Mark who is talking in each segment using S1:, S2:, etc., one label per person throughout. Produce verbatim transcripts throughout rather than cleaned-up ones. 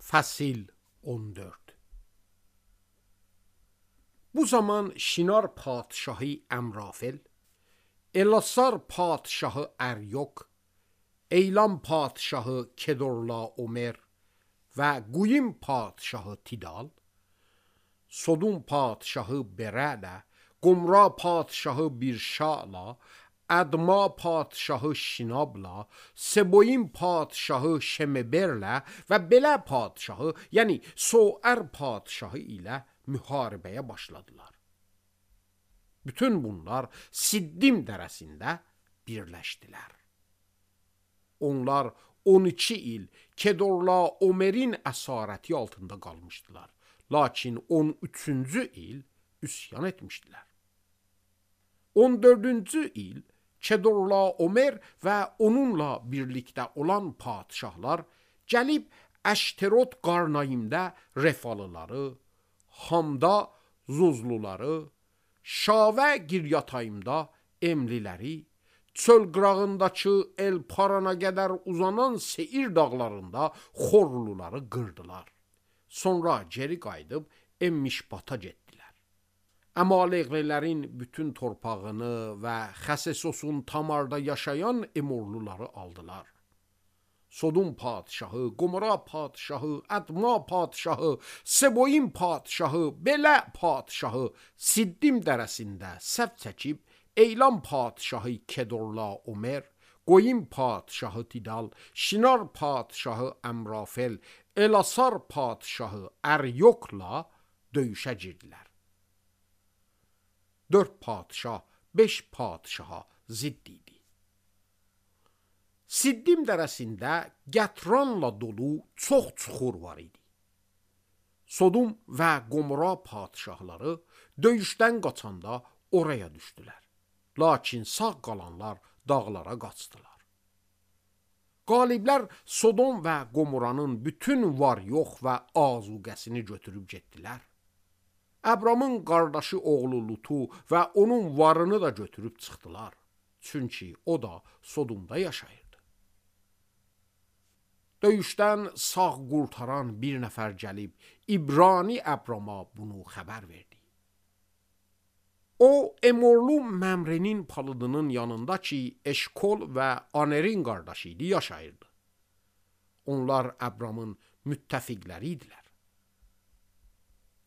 S1: Fəsil on dörd. Bu zaman Şinar padşahı Əmrafel, Elasar padşahı Əryok, Eylam padşahı Kedorlaomer və Quyim padşahı Tidal, Sodum padşahı Berələ, Qumra padşahı Birşala, Ədma padşahı Şinabla, Seboyim padşahı Şemeberlə və belə padşahı, yəni Soər padşahı ilə müharibəyə başladılar. Bütün bunlar Siddim dərəsində birləşdilər. Onlar on iki il Kedorlaomerin əsarəti altında qalmışdılar. Lakin on üçüncü il üsyan etmişdilər. on dördüncü il Kedorlaomer və onunla birlikdə olan padşahlar gəlib Əşterot Qarnayimdə Refalıları, Hamda Zuzluları, Şavə Giryatayimda Emliləri, çöl qırağındakı El Parana qədər uzanan Seir dağlarında Xorluları qırdılar. Sonra geri qayıdıb Emmişbata getdilər. Əmaleqlilərin bütün torpağını və Xəsesosun Tamarda yaşayan Emorluları aldılar. Sodum padşahı, Qomora padşahı, Ədma padşahı, Seboyim padşahı, belə padşahı Siddim dərəsində səf çəkib, Eylam padşahı Kedorlaomer, Qoyim padşahı Tidal, Şinar padşahı Əmrafel, Elasar padşahı Əryokla döyüşə girdilər. Dörd padşah, beş padşaha zidd idi. Siddim dərəsində gətranla dolu çox çuxur var idi. Sodum və Qomora padşahları döyüşdən qaçanda oraya düşdülər. Lakin sağ qalanlar dağlara qaçdılar. Qaliblər Sodom və Qomoranın bütün var yox və azuqəsini götürüb getdilər. Əbramın qardaşı oğlu Lutu və onun varını da götürüb çıxdılar. Çünki o da Sodomda yaşayırdı. Döyüşdən sağ qurtaran bir nəfər gəlib İbrani Əbrama bunu xəbər verdi. O, Emorlu Məmrenin palıdının yanında ki, Eşkol və Anerin qardaşı idi, yaşayırdı. Onlar Əbramın müttəfiqləri idilər.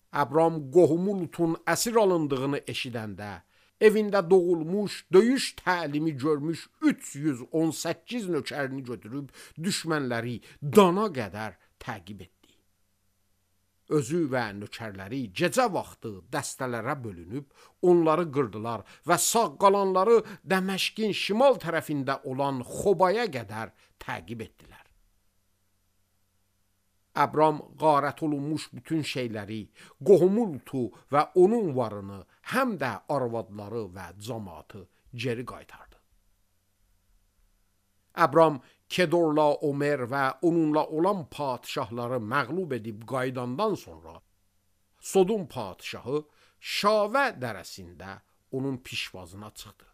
S1: Əbram qohumu Lutun əsir alındığını eşidəndə, evində doğulmuş, döyüş təlimi görmüş üç yüz on səkkiz nökərini götürüb düşmənləri Dana qədər təqib etdi. Özü və nökərləri gecə vaxtı dəstələrə bölünüb, onları qırdılar və sağ qalanları Dəməşqin şimal tərəfində olan Xobaya qədər təqib etdilər. Əbram qarət olunmuş bütün şeyləri, qohumu Lutu və onun varını, həm də arvadları və cəmaatı geri qaytardı. Əbram Kedorlaomer və onunla olan padşahları məğlub edib qayıdandan sonra Sodum padşahı Şavə dərəsində onun pişvazına çıxdı.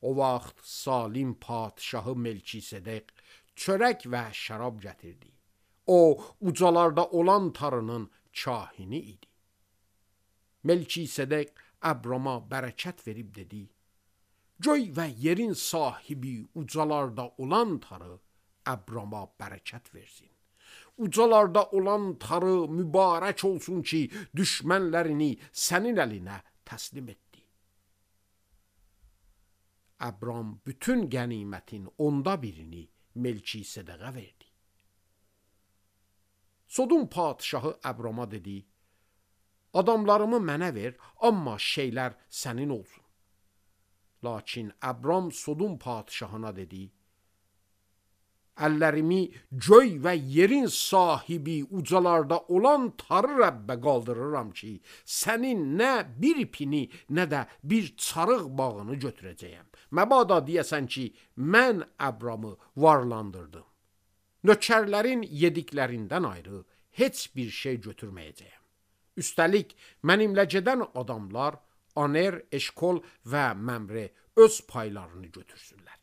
S1: O vaxt Salim padşahı Melkisedek çörək və şərab gətirdi. O, ucalarda olan tarının kahini idi. Melkisedek Əbrama bərəkət verib dedi: Göy və yerin sahibi ucalarda olan tarı Əbrama bərəkət versin. Ucalarda olan tarı mübarək olsun ki, düşmənlərini sənin əlinə təslim etdi. Əbram bütün qənimətin onda birini Melkisedekə verdi. Sodum padşahı Əbrama dedi: Adamlarımı mənə ver, amma şeylər sənin olsun. Lakin Əbram Sodum padşahına dedi: Əllərimi göy və yerin sahibi ucalarda olan tarı Rəbbə qaldırıram ki, sənin nə bir ipini, nə də bir çarıq bağını götürəcəyəm. Məbada deyəsən ki, mən Əbramı varlandırdım. Nökərlərin yediklərindən ayrı heç bir şey götürməyəcəyəm. Üstəlik, mənimlə gedən adamlar Aner, Eşkol və Məmre öz paylarını götürsünlər.